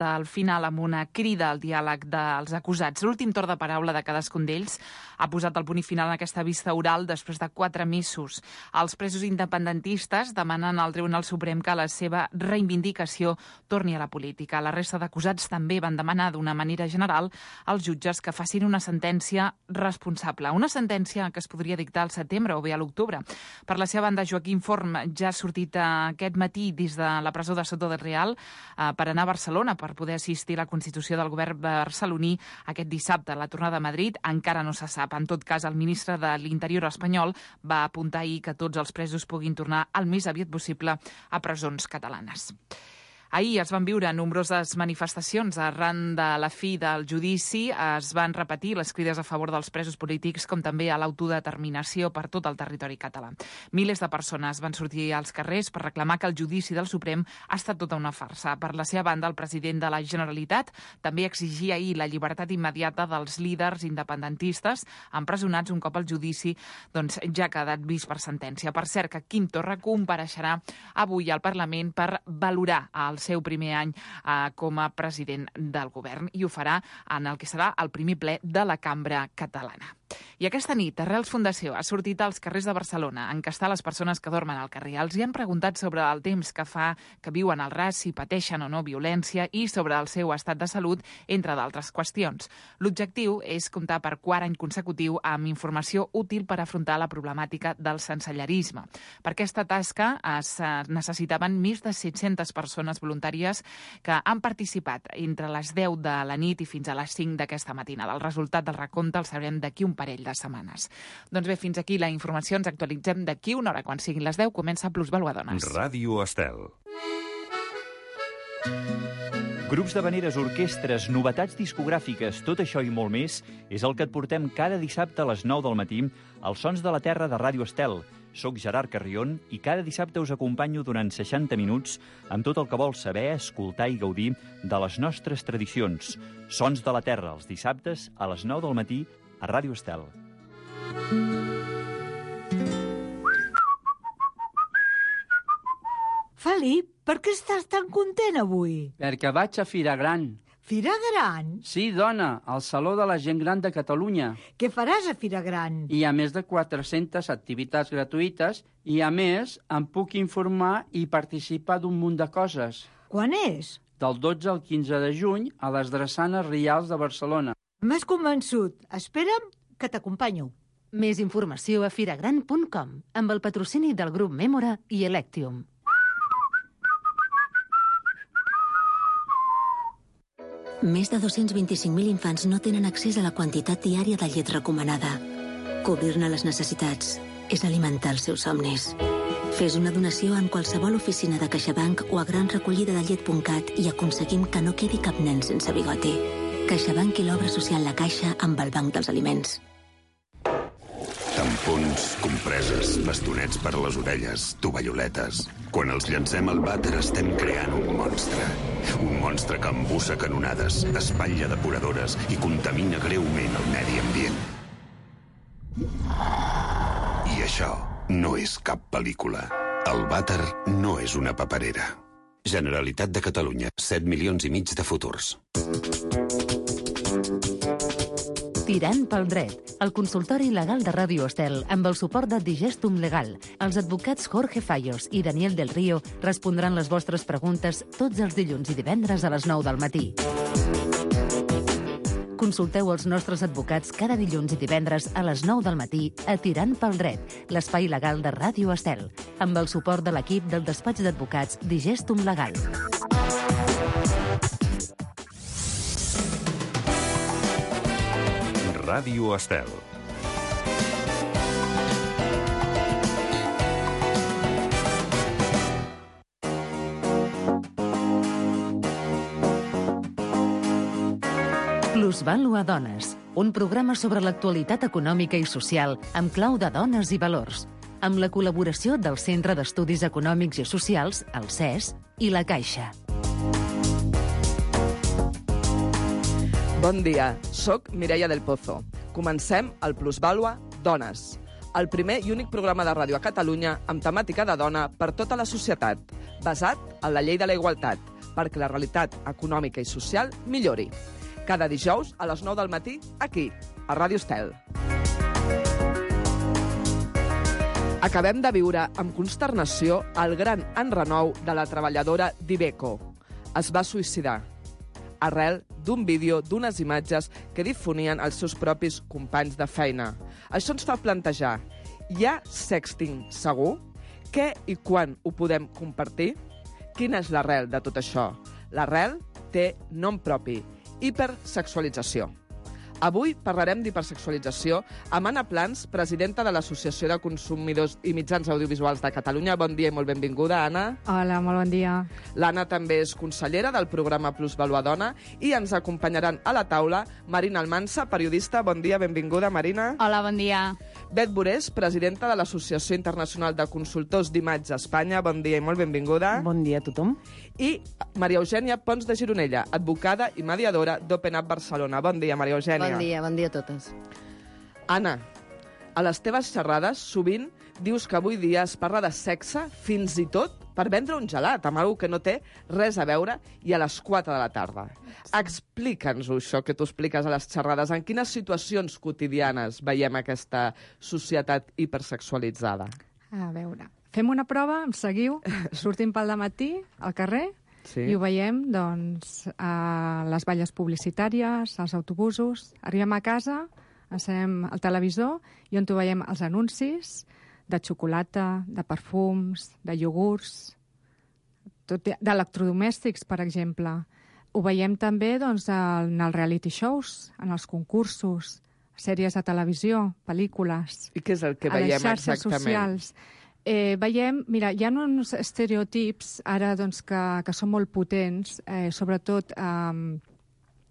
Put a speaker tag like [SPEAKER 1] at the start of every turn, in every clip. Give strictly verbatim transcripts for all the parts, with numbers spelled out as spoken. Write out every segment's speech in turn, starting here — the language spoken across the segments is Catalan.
[SPEAKER 1] al final amb una crida al diàleg dels acusats. L'últim torn de paraula de cadascun d'ells ha posat el punt i final en aquesta vista oral després de quatre mesos. Els presos independentistes demanen al Tribunal Suprem que la seva reivindicació torni a la política. La resta d'acusats també van demanar d'una manera general als jutges que facin una sentència responsable. Una sentència que es podria dictar al setembre o bé a l'octubre. Per la seva banda, Joaquim Forn ja ha sortit aquest matí des de la presó de Soto del Real eh, per anar a Barcelona per poder assistir a la constitució del govern barceloní aquest dissabte. La tornada a Madrid encara no se sap. En tot cas, el ministre de l'Interior espanyol va apuntar ahir que tots els presos puguin tornar el més aviat possible a presons catalanes. Ahir es van viure nombroses manifestacions arran de la fi del judici. Es van repetir les crides a favor dels presos polítics com també a l'autodeterminació per tot el territori català. Milers de persones van sortir als carrers per reclamar que el judici del Suprem ha estat tota una farsa. Per la seva banda, el president de la Generalitat també exigia ahir la llibertat immediata dels líders independentistes empresonats un cop el judici doncs, ja ha quedat vist per sentència. Per cert, que Quim Torra compareixerà avui al Parlament per valorar el seu primer any eh, com a president del govern i ho farà en el que serà el primer ple de la Cambra Catalana. I aquesta nit, Arrels Fundació ha sortit als carrers de Barcelona a encastar les persones que dormen al carrer. Els hi han preguntat sobre el temps que fa que viuen al ras, si pateixen o no violència i sobre el seu estat de salut, entre d'altres qüestions. L'objectiu és comptar per quart any consecutiu amb informació útil per afrontar la problemàtica del sensellarisme. Per aquesta tasca es necessitaven més de set-centes persones voluntàries que han participat entre les deu de la nit i fins a les cinc d'aquesta matinada. El resultat del recompte el sabrem d'aquí un parell de setmanes. Doncs bé, fins aquí la informació. Ens actualitzem d'aquí una hora. Quan siguin les deu, comença Plusvàlua Dones.
[SPEAKER 2] Ràdio Estel.
[SPEAKER 3] Grups d'havaneres, orquestres, novetats discogràfiques, tot això i molt més és el que et portem cada dissabte a les nou del matí als Sons de la Terra de Ràdio Estel. Soc Gerard Carrion i cada dissabte us acompanyo durant seixanta minuts amb tot el que vols saber, escoltar i gaudir de les nostres tradicions. Sons de la Terra, els dissabtes a les nou del matí a Ràdio Estel.
[SPEAKER 4] Felip, per què estàs tan content avui?
[SPEAKER 5] Perquè vaig a Fira Gran.
[SPEAKER 4] Fira Gran?
[SPEAKER 5] Sí, dona, al Saló de la Gent Gran de Catalunya.
[SPEAKER 4] Què faràs a Fira Gran?
[SPEAKER 5] Hi ha més de quatre-centes activitats gratuïtes i, a més, em puc informar i participar d'un munt de coses.
[SPEAKER 4] Quan és?
[SPEAKER 5] Del dotze al quinze de juny a les Drassanes Rials de Barcelona.
[SPEAKER 4] M'has convençut. Espera'm que t'acompanyo.
[SPEAKER 6] Més informació a firagran punt com, amb el patrocini del grup Mémora i Electium.
[SPEAKER 7] Més de dos-cents vint-i-cinc mil infants no tenen accés a la quantitat diària de llet recomanada. Cobrir-ne les necessitats és alimentar els seus somnis. Fes una donació en qualsevol oficina de CaixaBank o a gran recollida de llet punt cat i aconseguim que no quedi cap nen sense bigoti. CaixaBank i l'obra social La Caixa amb el Banc dels Aliments.
[SPEAKER 2] Tampons, compreses, bastonets per a les orelles, tovalloletes. Quan els llancem al vàter estem creant un monstre. Un monstre que embussa canonades, espatlla depuradores i contamina greument el medi ambient. I això no és cap pel·lícula. El vàter no és una paperera. Generalitat de Catalunya, set milions i mig de futurs.
[SPEAKER 6] Tirant pel dret, el consultori legal de Ràdio Estel, amb el suport de Digestum Legal. Els advocats Jorge Fallos i Daniel del Río respondran les vostres preguntes tots els dilluns i divendres a les nou del matí. Consulteu els nostres advocats cada dilluns i divendres a les nou del matí a Tirant pel dret, l'espai legal de Ràdio Estel, amb el suport de l'equip del despatx d'advocats Digestum Legal.
[SPEAKER 2] Ràdio Estel.
[SPEAKER 6] Plusvàlua Dones, un programa sobre l'actualitat econòmica i social amb clau de dones i valors, amb la col·laboració del Centre d'Estudis Econòmics i Socials, el C E S, i la Caixa.
[SPEAKER 8] Bon dia, soc Mireia del Pozo. Comencem el Plusvàlua Dones, el primer i únic programa de ràdio a Catalunya amb temàtica de dona per tota la societat, basat en la llei de la igualtat, perquè la realitat econòmica i social millori. Cada dijous a les nou del matí, aquí, a Ràdio Estel. Acabem de viure amb consternació el gran enrenou de la treballadora d'Iveco. Es va suïcidar arrel d'un vídeo d'unes imatges que difonien els seus propis companys de feina. Això ens fa plantejar, hi ha sexting segur? Què i quan ho podem compartir? Quina és l'arrel de tot això? L'arrel té nom propi, hipersexualització. Avui parlarem d'hipersexualització amb Anna Plans, presidenta de l'Associació de Consumidors i Mitjans Audiovisuals de Catalunya. Bon dia i molt benvinguda, Anna.
[SPEAKER 9] Hola, molt bon dia.
[SPEAKER 8] L'Anna també és consellera del programa Plusvalua Dona i ens acompanyaran a la taula Marina Almansa, periodista. Bon dia, benvinguda, Marina.
[SPEAKER 10] Hola, bon dia.
[SPEAKER 8] Bet Borés, presidenta de l'Associació Internacional de Consultors d'Imatge a Espanya. Bon dia i molt benvinguda.
[SPEAKER 11] Bon dia a tothom.
[SPEAKER 8] I Maria Eugènia Pons de Gironella, advocada i mediadora d'Open Up Barcelona. Bon dia, Maria Eugènia.
[SPEAKER 11] Bon dia, bon dia a totes.
[SPEAKER 8] Anna, a les teves xerrades sovint dius que avui dia es parla de sexe fins i tot per vendre un gelat, amb alguna que no té res a veure, i a les quatre de la tarda. Explica'ns-ho, això que tu expliques a les xerrades. En quines situacions quotidianes veiem aquesta societat hipersexualitzada?
[SPEAKER 9] A veure, fem una prova, em seguiu, sortim pel dematí al carrer sí. i ho veiem doncs, a les valles publicitàries, als autobusos. Arribem a casa, encenem el televisor i on ho veiem els anuncis de xocolata, de perfums, de iogurts, d'electrodomèstics, per exemple. Ho veiem també doncs, en els reality shows, en els concursos, sèries de televisió, pel·lícules.
[SPEAKER 8] I què és el que veiem exactament?
[SPEAKER 9] A les xarxes socials. Eh, veiem, mira, hi ha uns estereotips ara doncs, que, que són molt potents, eh, sobretot eh,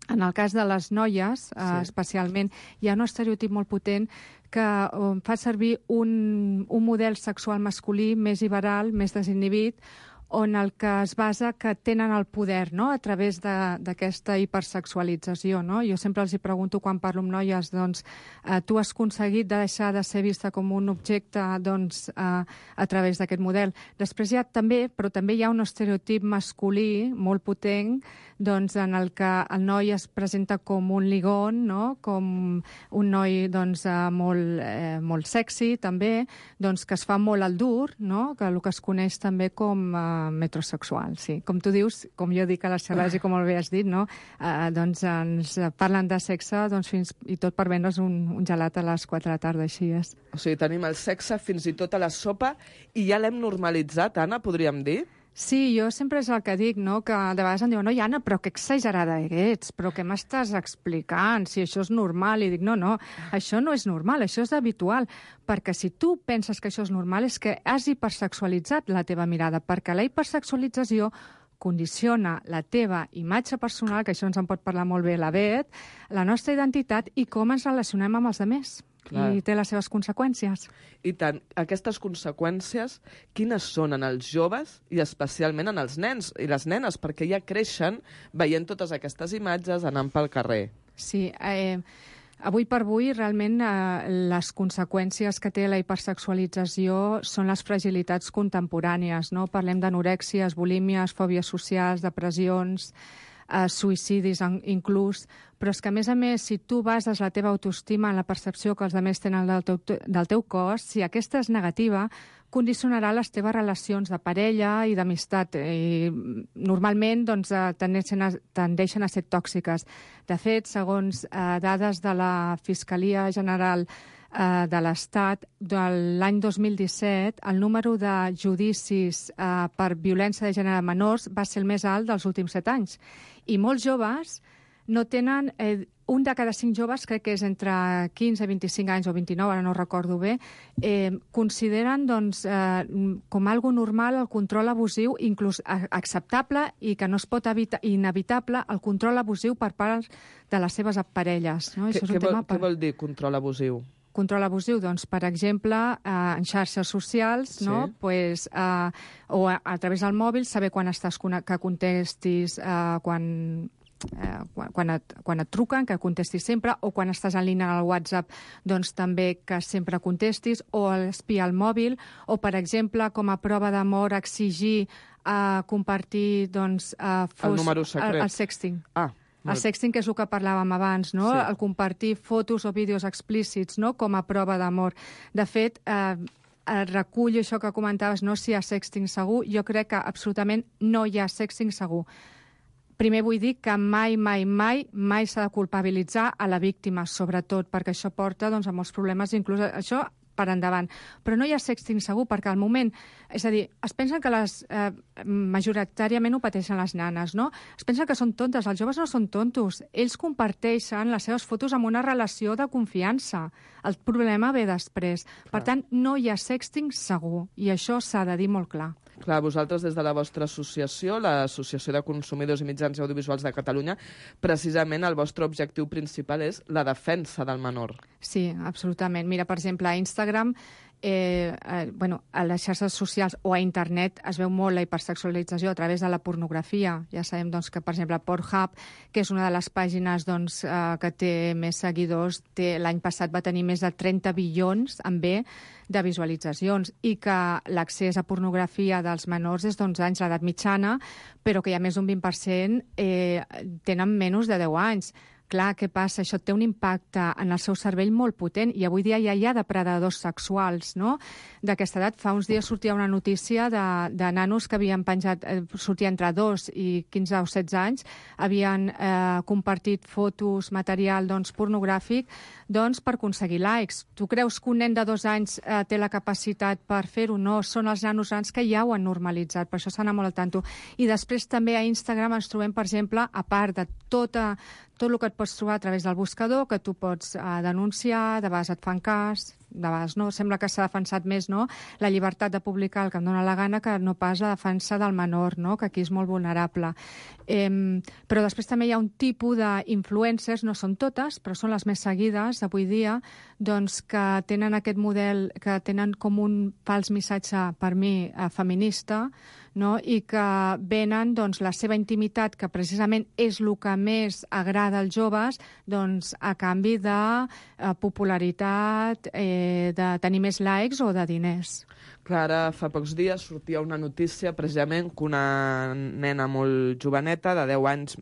[SPEAKER 9] en el cas de les noies, eh, sí. especialment, hi ha un estereotip molt potent que eh, fa servir un, un model sexual masculí més liberal, més desinhibit, on el que es basa que tenen el poder, no?, a través d'aquesta hipersexualització, no? Jo sempre els hi pregunto quan parlo amb noies, doncs, eh, tu has aconseguit de deixar de ser vista com un objecte, doncs, eh, a través d'aquest model. Després hi ha també, però també hi ha un estereotip masculí molt potent, doncs, en el que el noi es presenta com un ligón, no?, com un noi, doncs, eh, molt, eh, molt sexy, també, doncs, que es fa molt al dur, no?, que el que es coneix també com eh, metrosexual, sí. Com tu dius, com jo dic a les xerrades i com molt bé has dit, no? Eh, doncs ens parlen de sexe doncs, fins i tot per vendre's un, un gelat a les quatre de la tarda, així és.
[SPEAKER 8] O sigui, tenim el sexe fins i tot a la sopa i ja l'hem normalitzat, Anna, podríem dir?
[SPEAKER 9] Sí, jo sempre és el que dic, no?, que de vegades em diuen, no, Anna, però que exagerada ets, però què m'estàs explicant, si això és normal? I dic, no, no, això no és normal, això és habitual, perquè si tu penses que això és normal és que has hipersexualitzat la teva mirada, perquè la hipersexualització condiciona la teva imatge personal, que això ens en pot parlar molt bé la Bet, la nostra identitat i com ens relacionem amb els altres. Clar. I té les seves conseqüències.
[SPEAKER 8] I tant. Aquestes conseqüències, quines són en els joves i especialment en els nens i les nenes? Perquè ja creixen veient totes aquestes imatges anant pel carrer.
[SPEAKER 9] Sí, eh, avui per avui realment eh, les conseqüències que té la hipersexualització són les fragilitats contemporànies, no? Parlem d'anorèxies, bulímies, fòbies socials, depressions, eh, suïcidis inclús, però és que, a més a més, si tu bases la teva autoestima en la percepció que els altres tenen del teu, del teu cos, si aquesta és negativa, condicionarà les teves relacions de parella i d'amistat. I normalment doncs, tendeixen, a, tendeixen a ser tòxiques. De fet, segons eh, dades de la Fiscalia General eh, de l'Estat, de l'any dos mil disset, el número de judicis eh, per violència de gènere a menors va ser el més alt dels últims set anys. I molts joves no tenen... Eh, un de cada cinc joves, crec que és entre quinze, vint-i-cinc anys o vint-i-nou, ara no recordo bé, eh, consideren doncs, eh, com algo normal el control abusiu, inclús acceptable i que no es pot evitar, inevitable, el control abusiu per part de les seves parelles. No?
[SPEAKER 8] Què,
[SPEAKER 9] Això és un
[SPEAKER 8] què,
[SPEAKER 9] tema
[SPEAKER 8] vol,
[SPEAKER 9] per...
[SPEAKER 8] què vol dir control abusiu?
[SPEAKER 9] Control abusiu, doncs, per exemple, eh, en xarxes socials, no?
[SPEAKER 8] Sí.
[SPEAKER 9] Pues, eh, o a, a través del mòbil, saber quan estàs que contestis, eh, quan eh, quan, quan, et, quan et truquen, que contestis sempre, o quan estàs en línia al WhatsApp, doncs també que sempre contestis, o espiar el mòbil, o, per exemple, com a prova d'amor, exigir a uh, compartir doncs, uh, fos,
[SPEAKER 8] el número secret.
[SPEAKER 9] El, el sexting.
[SPEAKER 8] Ah,
[SPEAKER 9] el sexting, que és el que parlàvem abans, no? Sí. El compartir fotos o vídeos explícits, no?, com a prova d'amor. De fet, eh, recullo això que comentaves, no si hi ha sexting segur, jo crec que absolutament no hi ha sexting segur. Primer vull dir que mai, mai, mai, mai s'ha de culpabilitzar a la víctima, sobretot, perquè això porta doncs, a molts problemes, inclús això per endavant. Però no hi ha sexting segur, perquè al moment... És a dir, es pensen que les... Eh, majoritàriament ho pateixen les nanes, no? Es pensen que són tontes. Els joves no són tontos. Ells comparteixen les seves fotos amb una relació de confiança. El problema ve després. Clar. Per tant, no hi ha sexting segur. I això s'ha de dir molt clar.
[SPEAKER 8] Clar, vosaltres des de la vostra associació, l'Associació de Consumidors i Mitjans Audiovisuals de Catalunya, precisament el vostre objectiu principal és la defensa del menor.
[SPEAKER 9] Sí, absolutament. Mira, per exemple, a Instagram, eh, eh, bueno, a les xarxes socials o a internet es veu molt la hipersexualització a través de la pornografia. Ja sabem doncs, que, per exemple, Pornhub, que és una de les pàgines doncs, eh, que té més seguidors, té, l'any passat va tenir més de trenta bilions, amb B, de visualitzacions, i que l'accés a pornografia dels menors és d'onze anys, l'edat mitjana, però que hi ha més d'un vint per cent eh, tenen menys de deu anys. Clar, què passa? Això té un impacte en el seu cervell molt potent, i avui dia ja hi ha depredadors sexuals, no?, d'aquesta edat. Fa uns dies sortia una notícia de, de nanos que havien penjat, eh, sortia entre dos i quinze o setze anys, havien eh, compartit fotos, material doncs, pornogràfic, doncs, per aconseguir likes. Tu creus que un nen de dos anys eh, té la capacitat per fer-ho? No, són els nanos grans que ja ho han normalitzat, per això s'ha d'anar molt al tanto. I després també a Instagram ens trobem, per exemple, a part de tota tot el que et pots trobar a través del buscador, que tu pots eh, denunciar, de vegades et fan cas, de vegades no. Sembla que s'ha defensat més, no?, la llibertat de publicar el que em dóna la gana que no pas la defensa del menor, no?, que aquí és molt vulnerable. Eh, però després també hi ha un tipus d'influencers, no són totes, però són les més seguides avui dia, doncs que tenen aquest model, que tenen com un fals missatge, per mi, eh, feminista, no?, i que venen doncs, la seva intimitat, que precisament és el que més agrada als joves, doncs, a canvi de eh, popularitat, eh, de tenir més likes o de diners.
[SPEAKER 8] Clar, ara fa pocs dies sortia una notícia precisament que una nena molt joveneta, de deu anys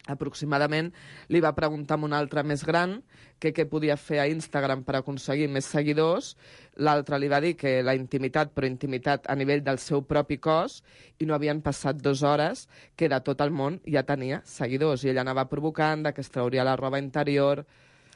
[SPEAKER 8] aproximadament, li va preguntar a un altre més gran que què podia fer a Instagram per aconseguir més seguidors. L'altre li va dir que la intimitat, però intimitat a nivell del seu propi cos, i no havien passat dues hores que de tot el món ja tenia seguidors, i ella anava provocant que es trauria la roba interior.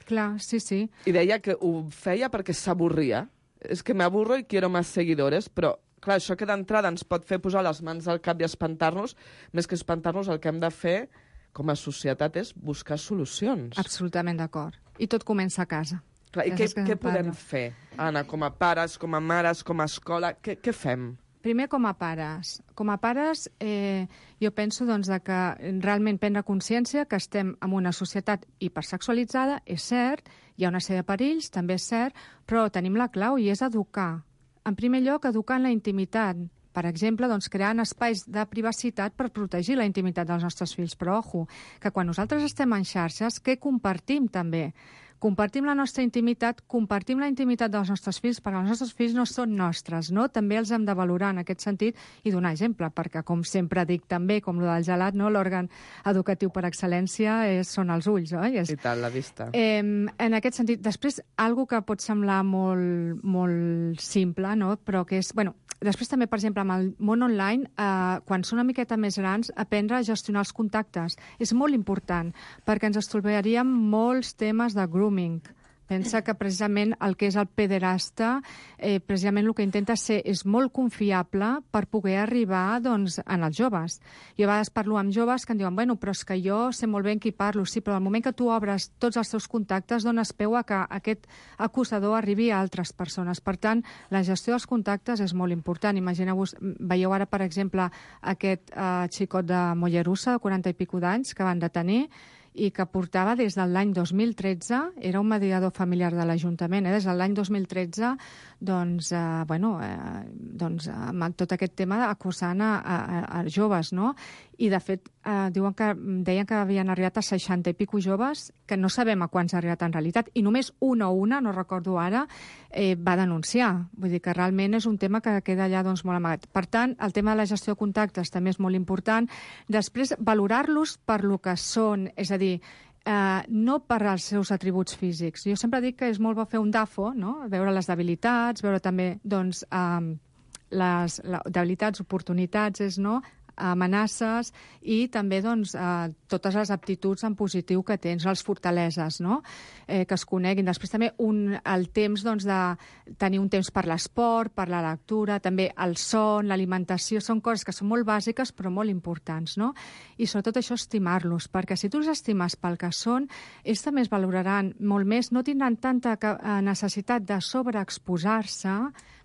[SPEAKER 9] Clar, sí, sí.
[SPEAKER 8] I deia que ho feia perquè s'avorria. És que m'aburro i quiero más seguidores, però clar, això que d'entrada ens pot fer posar les mans al cap i espantar-nos, més que espantar-nos, el que hem de fer com a societat és buscar solucions.
[SPEAKER 9] Absolutament d'acord. I tot comença a casa.
[SPEAKER 8] Clar, i què, què podem fer, Anna, com a pares, com a mares, com a escola? Què, què fem?
[SPEAKER 9] Primer, com a pares. Com a pares, eh, jo penso doncs, de que realment prendre consciència que estem en una societat hipersexualitzada, és cert, hi ha una sèrie de perills, també és cert, però tenim la clau i és educar. En primer lloc, educar en la intimitat. Per exemple, doncs, creant espais de privacitat per protegir la intimitat dels nostres fills. Però, ojo, que quan nosaltres estem en xarxes, què compartim també? Compartim la nostra intimitat, compartim la intimitat dels nostres fills, perquè els nostres fills no són nostres, no? També els hem de valorar en aquest sentit i donar exemple, perquè, com sempre dic també, com el del gelat, no? L'òrgan educatiu per excel·lència és, són els ulls, oi? És...
[SPEAKER 8] I tant, la vista.
[SPEAKER 9] Eh, en aquest sentit, després, algo que pot semblar molt, molt simple, no? Però que és... Bueno, després també, per exemple, amb el món online, eh, quan són una miqueta més grans, aprendre a gestionar els contactes. És molt important, perquè ens estalviaríem molts temes de grooming. Pensa que precisament el que és el pederasta, eh, precisament el que intenta ser és molt confiable per poder arribar doncs, en els joves. Jo a vegades parlo amb joves que em diuen, bueno, però és que jo sé molt bé amb qui parlo, sí, però al moment que tu obres tots els teus contactes dones peu a que aquest acusador arribi a altres persones. Per tant, la gestió dels contactes és molt important. Imagineu-vos, veieu ara, per exemple, aquest eh, xicot de Mollerussa, de quaranta i pico d'anys, que van detenir, i que portava des de l'any dos mil tretze, era un mediador familiar de l'Ajuntament, eh? Des de l'any dos mil tretze, doncs, eh, bueno, eh, doncs, amb tot aquest tema acusant a, a, a joves, no? i de fet eh, diuen que, deien que havien arribat a seixanta i pico joves, que no sabem a quants ha arribat en realitat, i només una o una, no recordo ara, eh, va denunciar. Vull dir que realment és un tema que queda allà doncs, molt amagat. Per tant, el tema de la gestió de contactes també és molt important. Després, valorar-los per lo que són, és a dir, Uh, no per als seus atributs físics. Jo sempre dic que és molt bo fer un D A F O, no? Veure les debilitats, veure també doncs, um, les, les debilitats, oportunitats, és, no? amenaces i també doncs, eh, totes les aptituds en positiu que tens, les fortaleses, no? eh, que es coneguin. Després també un, el temps doncs, de tenir un temps per l'esport, per la lectura, també el son, l'alimentació, són coses que són molt bàsiques però molt importants, no? I sobretot això, estimar-los, perquè si tu els estimes pel que són, ells també es valoraran molt més, no tindran tanta necessitat de sobreexposar-se,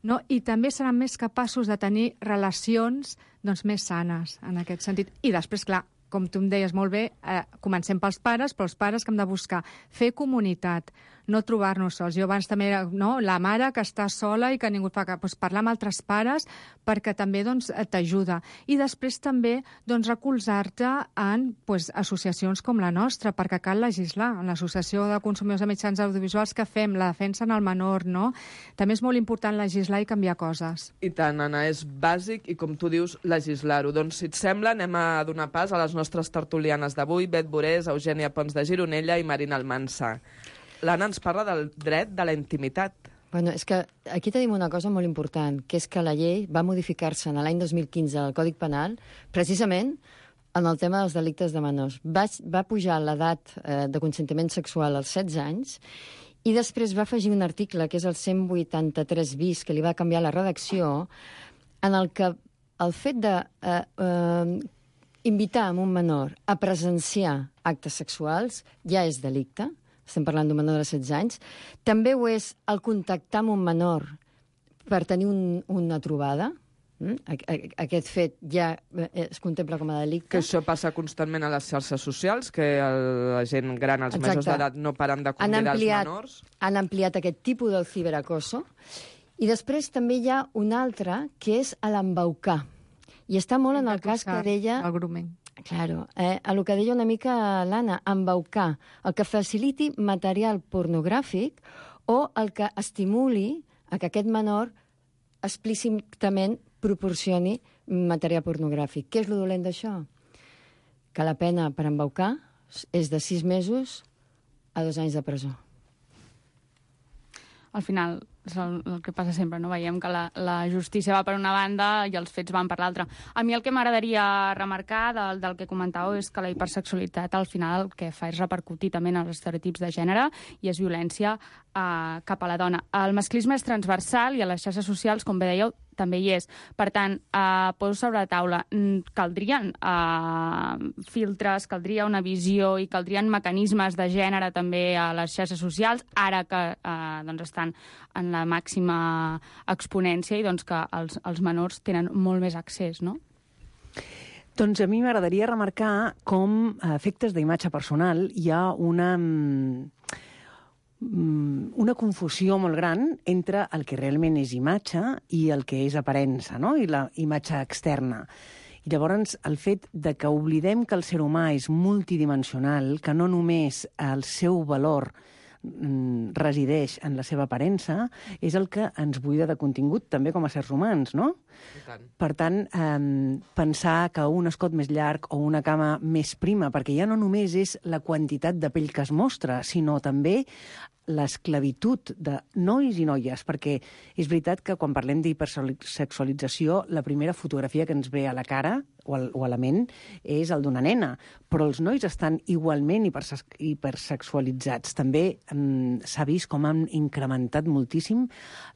[SPEAKER 9] no? I també seran més capaços de tenir relacions doncs, més sanes, en aquest sentit. I després, clar, com tu em deies molt bé, eh, comencem pels pares, però els pares que hem de buscar fer comunitat, no trobar-nos sols. Jo abans també era no, la mare que està sola i que ningú fa cap. Doncs parlar amb altres pares perquè també doncs, t'ajuda. I després també doncs, recolzar-te en doncs, associacions com la nostra, perquè cal legislar. En l'Associació de Consumidors de Mitjans Audiovisuals que fem, la defensa en el menor, no? També és molt important legislar i canviar coses.
[SPEAKER 8] I tant, Anna, és bàsic i, com tu dius, legislar-ho. Doncs, si et sembla, anem a donar pas a les nostres tertulianes d'avui, Bet Borés, Eugènia Pons de Gironella i Marina Almansa. L'Anna ens parla del dret de la intimitat.
[SPEAKER 10] Bueno, és que aquí tenim una cosa molt important, que és que la llei va modificar-se en l'any dos mil quinze al Codi Penal, precisament en el tema dels delictes de menors. Va, va pujar l'edat eh, de consentiment sexual als setze anys i després va afegir un article, que és el cent vuitanta-tres bis, que li va canviar la redacció, en el que el fet de eh, eh, invitar a un menor a presenciar actes sexuals ja és delicte. Estem parlant d'un menor de setze anys. També ho és el contactar amb un menor per tenir un, una trobada. Aquest fet ja es contempla com a delicte.
[SPEAKER 8] Que això passa constantment a les xarxes socials, que la gent gran, els majors d'edat, no paren de convidar
[SPEAKER 10] ampliat,
[SPEAKER 8] els menors.
[SPEAKER 10] Han ampliat aquest tipus del ciberacoso. I després també hi ha un altre, que és l'embaucar. I està molt en el cas que deia...
[SPEAKER 9] El grooming.
[SPEAKER 10] Claro, eh, a lo que deia una mica l'Anna, embaucar, el que faciliti material pornogràfic o el que estimuli a que aquest menor explícitament proporcioni material pornogràfic. Què és lo dolent d'això? Que la pena per embaucar és de sis mesos a dos anys de presó.
[SPEAKER 11] Al final és el, el que passa sempre, no? Veiem que la, la justícia va per una banda i els fets van per l'altra. A mi el que m'agradaria remarcar del, del que comentàveu és que la hipersexualitat al final el que fa és repercutir també en els estereotips de gènere i és violència eh, cap a la dona. El masclisme és transversal i a les xarxes socials, com bé dèieu, també hi és. Per tant, eh, poso sobre la taula, caldrien eh, filtres, caldria una visió i caldrien mecanismes de gènere també a les xarxes socials, ara que eh, doncs estan en la màxima exponència i doncs que els, els menors tenen molt més accés, no?
[SPEAKER 12] Doncs a mi m'agradaria remarcar com a efectes d'imatge personal hi ha una... una confusió molt gran entre el que realment és imatge i el que és aparença, no? I la imatge externa. I llavors el fet de que oblidem que el ser humà és multidimensional, que no només el seu valor resideix en la seva aparença, és el que ens buida de contingut, també com a éssers humans, no? Per tant, eh, pensar que un escot més llarg o una cama més prima, perquè ja no només és la quantitat de pell que es mostra, sinó també l'esclavitud de nois i noies, perquè és veritat que quan parlem d'hipersexualització, la primera fotografia que ens ve a la cara o, al, o a la ment és el d'una nena, però els nois estan igualment hiperse hipersexualitzats. També mm, s'ha vist com han incrementat moltíssim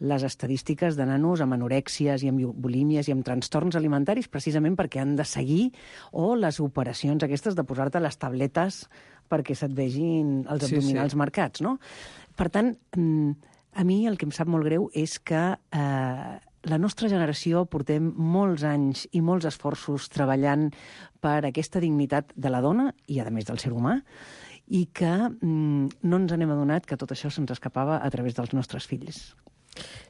[SPEAKER 12] les estadístiques de nanos amb anorèxies i amb bulímies i amb trastorns alimentaris, precisament perquè han de seguir, o les operacions aquestes de posar-te les tabletes perquè se't vegin els abdominals sí, sí. marcats, no? Per tant, a mi el que em sap molt greu és que eh, la nostra generació portem molts anys i molts esforços treballant per aquesta dignitat de la dona i, a més, del ser humà, i que mm, no ens n'hem adonat que tot això se'ns escapava a través dels nostres fills.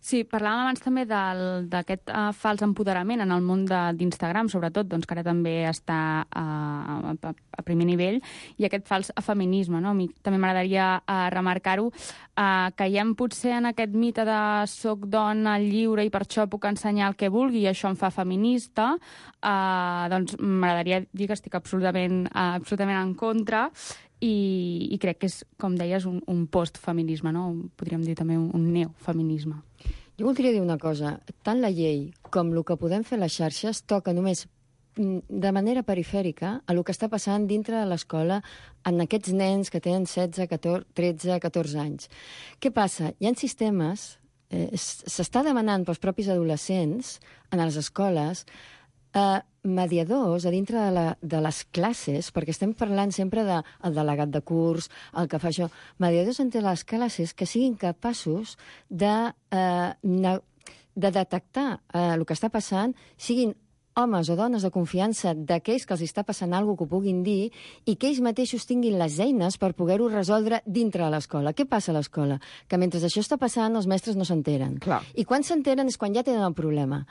[SPEAKER 11] Sí, parlàvem abans també d'aquest uh, fals empoderament en el món d'Instagram, sobretot, doncs, que ara també està uh, a, a primer nivell, i aquest fals feminisme, no? A mi també m'agradaria uh, remarcar-ho. Uh, caiem potser en aquest mite de soc dona lliure i per això puc ensenyar el que vulgui i això em fa feminista. Uh, doncs m'agradaria dir que estic absolutament, uh, absolutament en contra. I, i crec que és, com deies, un, un postfeminisme, no? Podríem dir també un, un neofeminisme.
[SPEAKER 10] Jo voldria dir una cosa. Tant la llei com el que podem fer a les xarxes toca només de manera perifèrica a el que està passant dintre de l'escola en aquests nens que tenen setze, catorze, tretze, catorze anys. Què passa? Hi ha sistemes, eh, s'està demanant pels propis adolescents en les escoles eh, mediadors a dintre de, la, de les classes, perquè estem parlant sempre del de, delegat de curs, el que fa això, mediadors entre les classes que siguin capaços de, eh, de detectar eh, el que està passant, siguin homes o dones de confiança d'aquells que els està passant alguna cosa que ho puguin dir i que ells mateixos tinguin les eines per poder-ho resoldre dintre de l'escola. Què passa a l'escola? Que mentre això està passant, els mestres no s'enteren. I quan s'enteren és quan ja tenen el problema.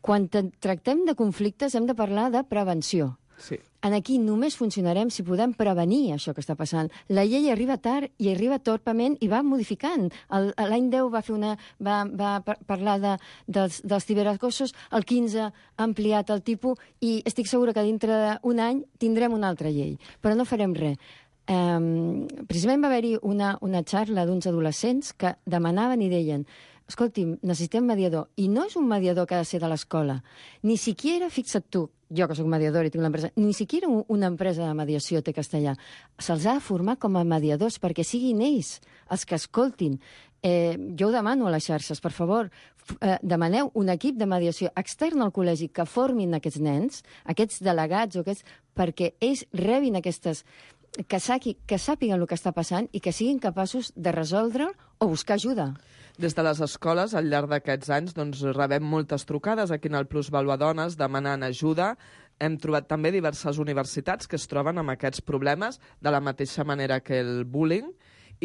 [SPEAKER 10] Quan tractem de conflictes hem de parlar de prevenció.
[SPEAKER 8] Sí.
[SPEAKER 10] En aquí només funcionarem si podem prevenir això que està passant. La llei arriba tard i arriba torpament i va modificant. L'any deu va, fer una, va, va parlar de, dels, dels ciberacosos, el quinze ha ampliat el tipus i estic segura que dintre d'un any tindrem una altra llei. Però no farem res. Um, precisament va haver-hi una, una xarra d'uns adolescents que demanaven i deien escolti, necessitem mediador. I no és un mediador que ha de ser de l'escola. Ni siquiera, fixa't tu, jo que soc mediador i tinc l'empresa, ni siquiera una empresa de mediació té castellà. Se'ls ha de formar com a mediadors perquè siguin ells els que escoltin. Eh, jo ho demano a les xarxes, per favor, eh, demaneu un equip de mediació extern al col·legi que formin aquests nens, aquests delegats, o aquests, perquè ells rebin aquestes... Que, saqui, que sàpiguen el que està passant i que siguin capaços de resoldre o buscar ajuda.
[SPEAKER 8] Des de les escoles, al llarg d'aquests anys, doncs, rebem moltes trucades aquí en el Plus Valua Dones demanant ajuda. Hem trobat també diverses universitats que es troben amb aquests problemes de la mateixa manera que el bullying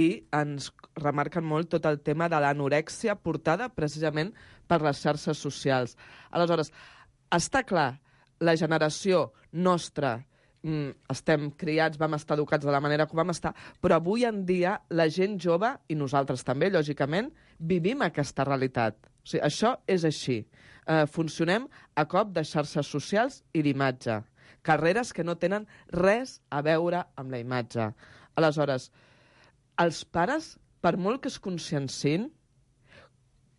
[SPEAKER 8] i ens remarquen molt tot el tema de l'anorèxia portada precisament per les xarxes socials. Aleshores, està clar, la generació nostra estem criats, vam estar educats de la manera que vam estar, però avui en dia la gent jove, i nosaltres també, lògicament, vivim aquesta realitat. O sigui, això és així. Eh, funcionem a cop de xarxes socials i d'imatge. Carreres que no tenen res a veure amb la imatge. Aleshores, els pares, per molt que es consciencin,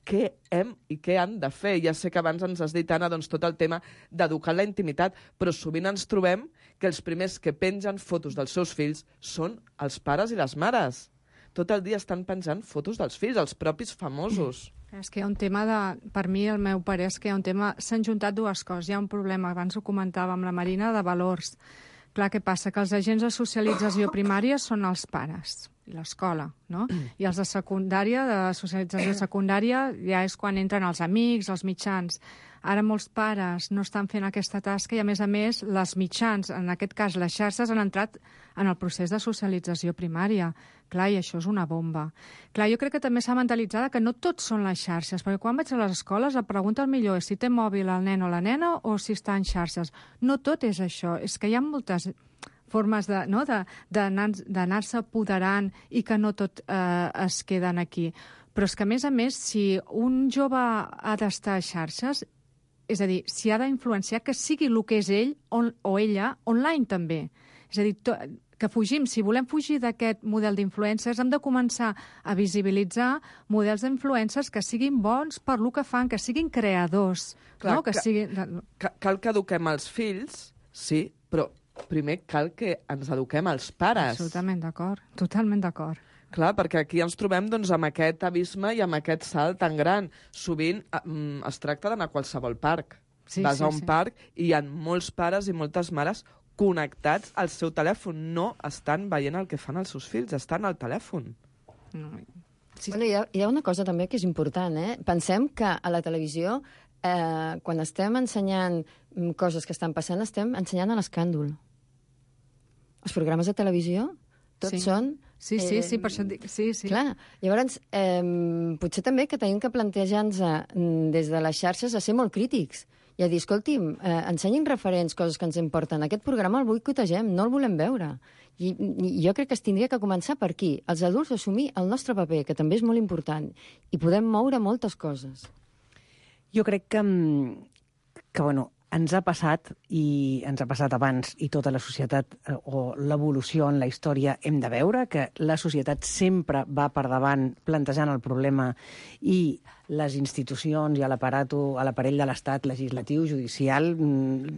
[SPEAKER 8] què hem i què han de fer. Ja sé que abans ens has dit, Anna, doncs, tot el tema d'educar la intimitat, però sovint ens trobem que els primers que pengen fotos dels seus fills són els pares i les mares. Tot el dia estan penjant fotos dels fills, els propis famosos.
[SPEAKER 9] És que hi ha un tema de... Per mi, el meu parer és que hi ha un tema... S'han juntat dues coses. Hi ha un problema, abans ho comentava amb la Marina, de valors. Clar, què passa? Que els agents de socialització primària són els pares i l'escola, no? I els de secundària, de socialització secundària, ja és quan entren els amics, els mitjans. Ara molts pares no estan fent aquesta tasca i, a més a més, les mitjans, en aquest cas les xarxes, han entrat en el procés de socialització primària. Clar, i això és una bomba. Clar, jo crec que també s'ha mentalitzat que no tots són les xarxes, perquè quan vaig a les escoles la pregunta el millor és si té mòbil el nen o la nena o si està en xarxes. No tot és això, és que hi ha moltes formes de, no, d'anar-se apoderant i que no tot eh, es queden aquí. Però és que, a més a més, si un jove ha d'estar a xarxes, és a dir, si ha d'influenciar, que sigui el que és ell on, o ella online també. És a dir, to, que fugim, si volem fugir d'aquest model d'influencers, hem de començar a visibilitzar models d'influencers que siguin bons per lo que fan, que siguin creadors.
[SPEAKER 8] Clar,
[SPEAKER 9] no? que
[SPEAKER 8] ca,
[SPEAKER 9] siguin...
[SPEAKER 8] Cal que eduquem els fills, sí, però primer cal que ens eduquem els pares.
[SPEAKER 9] Absolutament d'acord, totalment d'acord.
[SPEAKER 8] Clar, perquè aquí ens trobem doncs, amb aquest abisme i amb aquest salt tan gran. Sovint mm, es tracta d'anar a qualsevol parc.
[SPEAKER 9] Sí,
[SPEAKER 8] Vas
[SPEAKER 9] sí,
[SPEAKER 8] a un
[SPEAKER 9] sí.
[SPEAKER 8] parc i hi ha molts pares i moltes mares connectats al seu telèfon. No estan veient el que fan els seus fills, estan al telèfon.
[SPEAKER 9] No.
[SPEAKER 10] Sí. Bueno, hi, ha, hi ha una cosa també que és important. Eh? Pensem que a la televisió, eh, quan estem ensenyant coses que estan passant, estem ensenyant l'escàndol. Els programes de televisió tots sí. són
[SPEAKER 9] Sí, sí, sí, per això et dic... Sí, sí.
[SPEAKER 10] Clar, llavors, eh, potser també que tenim que plantejar-nos des de les xarxes a ser molt crítics i a dir, escolti'm, eh, ensenyin referents, coses que ens importen. Aquest programa el boicotegem, no el volem veure. I, I jo crec que es tindria que començar per aquí. Els adults assumir el nostre paper, que també és molt important, i podem moure moltes coses.
[SPEAKER 12] Jo crec que, que bueno, ens ha passat, i ens ha passat abans, i tota la societat eh, o l'evolució en la història hem de veure que la societat sempre va per davant plantejant el problema i les institucions i l'aparato, a l'aparell de l'Estat, legislatiu, judicial,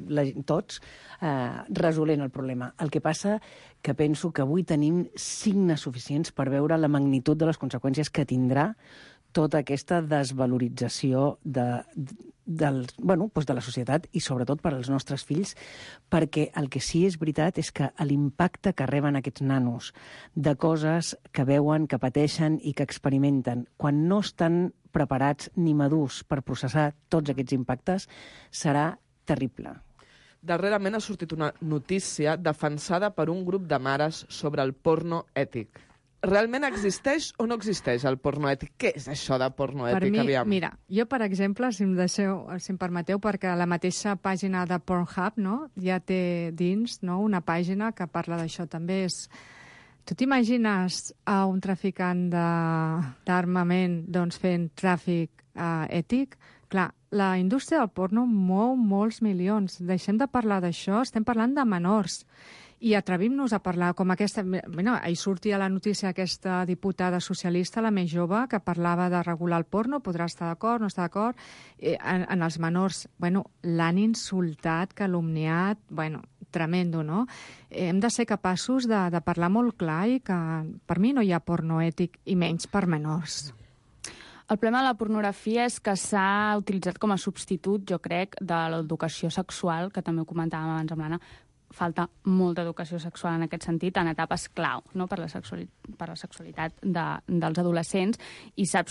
[SPEAKER 12] la, tots, eh, resolent el problema. El que passa que penso que avui tenim signes suficients per veure la magnitud de les conseqüències que tindrà tota aquesta desvalorització de, del, bueno, doncs de la societat i sobretot per als nostres fills, perquè el que sí és veritat és que l'impacte que reben aquests nanos de coses que veuen, que pateixen i que experimenten, quan no estan preparats ni madurs per processar tots aquests impactes, serà terrible.
[SPEAKER 8] Darrerament ha sortit una notícia defensada per un grup de mares sobre el porno ètic. Realment existeix o no existeix el porno ètic? Què és això de porno ètic?
[SPEAKER 9] Per mi,
[SPEAKER 8] aviam?
[SPEAKER 9] mira, jo, per exemple, si em, deixeu, si em permeteu, perquè la mateixa pàgina de Pornhub, no?, ja té dins, no?, una pàgina que parla d'això també. És... Tu t'imagines a un traficant d'armament doncs, fent tràfic uh, ètic? Clar, la indústria del porno mou molts milions. Deixem de parlar d'això, estem parlant de menors. I atrevim-nos a parlar com aquesta... Bueno, ahir sortia la notícia aquesta diputada socialista, la més jove, que parlava de regular el porno, podrà estar d'acord, no estar d'acord, eh, en, en els menors. Bueno, l'han insultat, calumniat, bueno, tremendo, no? Eh, hem de ser capaços de, de parlar molt clar i que per mi no hi ha porno ètic, i menys per menors.
[SPEAKER 11] El problema de la pornografia és que s'ha utilitzat com a substitut, jo crec, de l'educació sexual, que també ho comentàvem abans amb l'Anna. Falta molta educació sexual en aquest sentit, en etapes clau, no?, per la sexualitat, per la sexualitat de, dels adolescents, i s'ha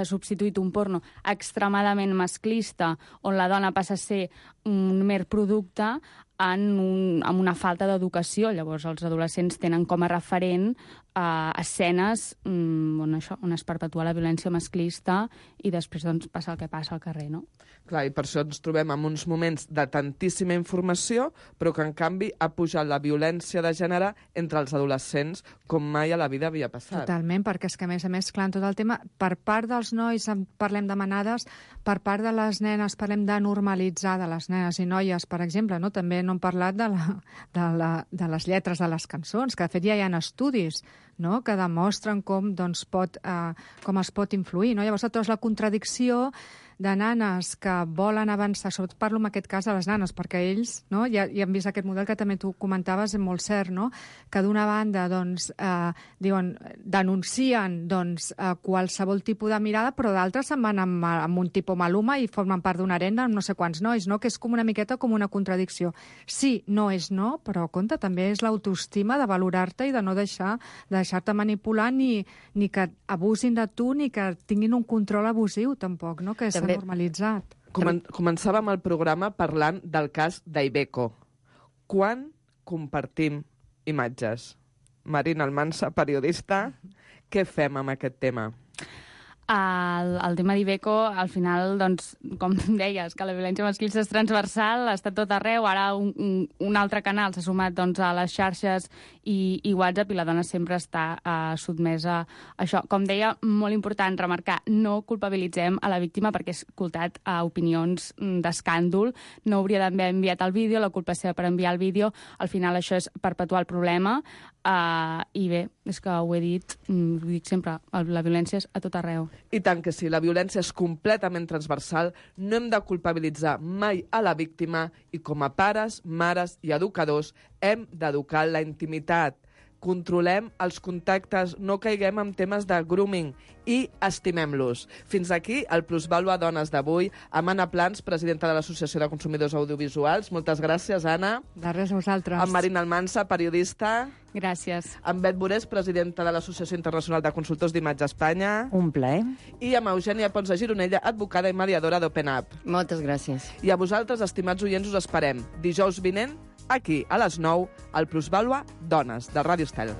[SPEAKER 11] substituït un porno extremadament masclista, on la dona passa a ser un mer producte, en un, amb una falta d'educació. Llavors, els adolescents tenen com a referent eh, escenes mm, on, això, on es perpetua la violència masclista i després doncs, passa el que passa al carrer, no?
[SPEAKER 8] Clar, i per això ens trobem en uns moments de tantíssima informació, però que, en canvi, ha pujat la violència de gènere entre els adolescents com mai a la vida havia passat.
[SPEAKER 9] Totalment, perquè és que, a més a més, clar, en tot el tema, per part dels nois parlem de manades, per part de les nenes parlem de normalitzar de les nenes i noies, per exemple, no? També no hem parlat de, la, de, la, de les lletres de les cançons, que de fet ja hi ha estudis, no?, que demostren com, doncs, pot, eh, com es pot influir, no? Llavors, tu la contradicció de nanes que volen avançar, sobretot parlo en aquest cas de les nanes, perquè ells, no, ja, ja han vist aquest model que també tu comentaves, és molt cert, no?, que d'una banda, doncs, eh, diuen, denuncien, doncs, eh, qualsevol tipus de mirada, però d'altres se'n van amb, amb un tipus maluma i formen part d'una arena amb no sé quants nois, no?, que és com una miqueta com una contradicció. Sí, no és no, però, compte, també és l'autoestima de valorar-te i de no deixar de deixar-te manipular ni, ni que abusin de tu ni que tinguin un control abusiu, tampoc, no?, que s'ha normalitzat.
[SPEAKER 8] Comen començàvem el programa parlant del cas d'Iveco. Quan compartim imatges? Marina Almansa, periodista, què fem amb aquest tema?
[SPEAKER 11] El, el tema d'Iveco, al final, doncs, com deies, que la violència masclista és transversal, està tot arreu, ara un, un, un altre canal s'ha sumat doncs, a les xarxes i, i WhatsApp, i la dona sempre està uh, sotmesa a això. Com deia, molt important remarcar, no culpabilitzem a la víctima perquè és escoltat a opinions d'escàndol, no hauria d'haver enviat el vídeo, la culpa seva per enviar el vídeo, al final això és perpetuar el problema, uh, i bé, és que ho he dit, ho dic sempre, la violència és a tot arreu.
[SPEAKER 8] I tant que sí, la violència és completament transversal, no hem de culpabilitzar mai a la víctima i com a pares, mares i educadors hem d'educar la intimitat. Controlem els contactes, no caiguem en temes de grooming i estimem-los. Fins aquí el Plusvàlua Dones d'avui amb Anna Plans, presidenta de l'Associació de Consumidors Audiovisuals. Moltes gràcies, Anna.
[SPEAKER 9] De res a vosaltres.
[SPEAKER 8] Amb Marina Almansa, periodista.
[SPEAKER 11] Gràcies.
[SPEAKER 8] Amb Bet Borés, presidenta de l'Associació Internacional de Consultors d'Imatge Espanya.
[SPEAKER 12] Un plaer.
[SPEAKER 8] I amb Eugènia Pons de Gironella, advocada i mediadora d'Open Up.
[SPEAKER 10] Moltes gràcies.
[SPEAKER 8] I a vosaltres, estimats oients, us esperem dijous vinent, aquí, a les nou, al Plusvàlua Dones, de Ràdio Estel.